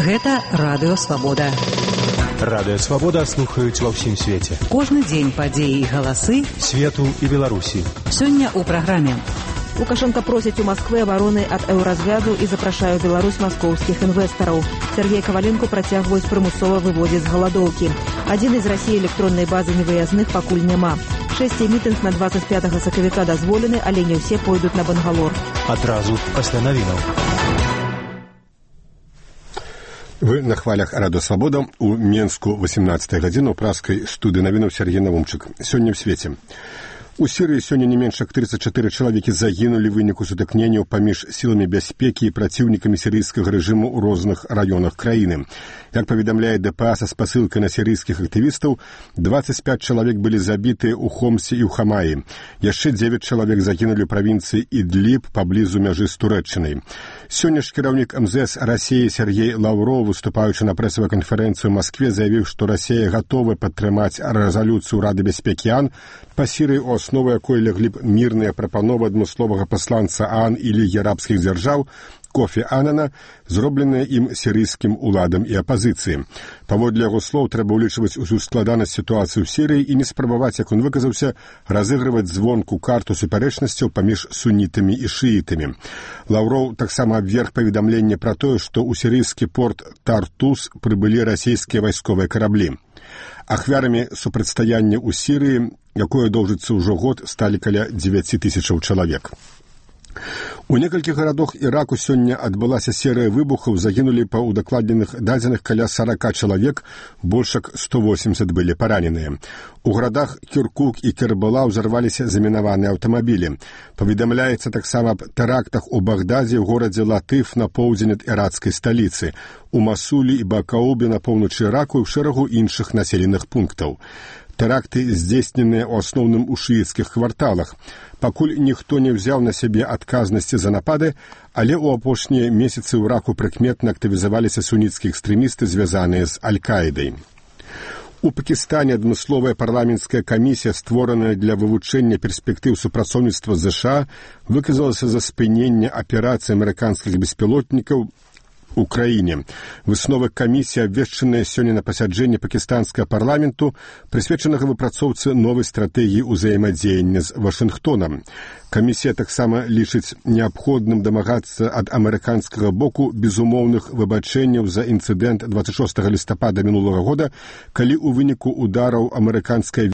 Гэта Радыё Свабода. Радыё Свабода слухаюць ва ўсім свеце. Кожны дзень падзеі і галасы свету і Беларусі. Сёння ў праграме. Лукашенко просіць у Москвы абароны ад еўразвязу і запрашае ў Беларусь маскоўскіх інвестараў. Сергей Коваленко працягваюць прымусова выводзіць з галадоўкі. Адзін з Расіі электроннай базы невыязных пакуль няма. 6 мітынг на 25 сакавіка дазволены, але не ўсе пойдуць на Бангалор. Адразу пасля навінаў. Вы на хвалях Радыё Свабода. У Менску 18 гадзіна ў праскай студыі навінаў Сергей Навумчык. Сёння ў свеце. У Сірыі сёння не менш як 34 чалавекі загінулі ў выніку сутыкненняў паміж сіламі бяспекі і праціўнікамі сірыйскага рэжыму ў розных раёнах краіны. Як паведамляе ДПА са спасылкай на сірыйскіх актывістаў, 25 чалавек былі забітыя ў Хомсе і ў Хамаі. Яшчэ 9 чалавек загінулі ў правінцыі Ідліб паблізу мяжы з Турэччынай. Сёння ж кіраўнік МЗС Расіі Сергей Лаўров, выступаючы на прэсавай канферэнцыі ў Маскве, заявіў, што Расія гатова падтрымаць рэзалюцыю Рады бяспекі ААН па Сірыі, у аснову якой ляглі б мірныя прапановы адмысловага пасланца ААН і Лігі арабскіх дзяржаў Кофі Анана, зробленыя ім сірыйскім уладам і апазіцыі. Паводле яго слоў, трэба ўлічваць усю складанасць сітуацыі ў Сірыі і не спрабаваць, як он выказаўся, разыгрываць звонку карту супярэчнасцяў паміж сунітамі і шыітамі. Лаўроў таксама абверг паведамленне пра тое, што ў сірыйскі порт Тартус прыбылі расійскія вайсковыя караблі. Ахвярамі супрацьстаяння ў Сірыі, якое доўжыцца ўжо год, сталі каля 9 тысячаў чалавек. У некалькіх гарадах Іраку сёння адбылася серыя выбухаў, загінулі па ўдакладненых дадзеных каля 40 чалавек, больш як 180 былі параненыя. У гарадах Кіркук і Кербала ўзарваліся замінаваныя аўтамабілі. Паведамляецца таксама аб тэрактах у Багдадзе, ў горадзе Латыф на поўдзень ад іракскай сталіцы, у Масулі і Бакаубе на поўначы Іраку і ў шэрагу іншых населеных пунктаў. Тэракты здзейсненыя ў асноўным у шыіцкіх кварталах. Пакуль ніхто не ўзяў на сябе адказнасці за напады, але ў апошнія месяцы ў Іраку прыкметна актывізаваліся суніцкія экстрэмісты, звязаныя з Аль-Каідай. У Пакістане адмысловая парламенцкая камісія, створаная для вывучэння перспектыў супрацоўніцтва з ЗША, выказалася за спыненне аперацыі амерыканскіх беспілотнікаў у краіне. Высновы камісіі, абвешчаныя сёння на пасяджэнні пакістанскага парламенту, прысвечанага выпрацоўцы новай стратэгіі ўзаемадзеяння з Вашынгтонам. Камісія таксама лічыць неабходным дамагацца ад амерыканскага боку безумоўных выбачэнняў за інцыдэнт 26 лістапада мінулага года, калі ў выніку удараў амерыканская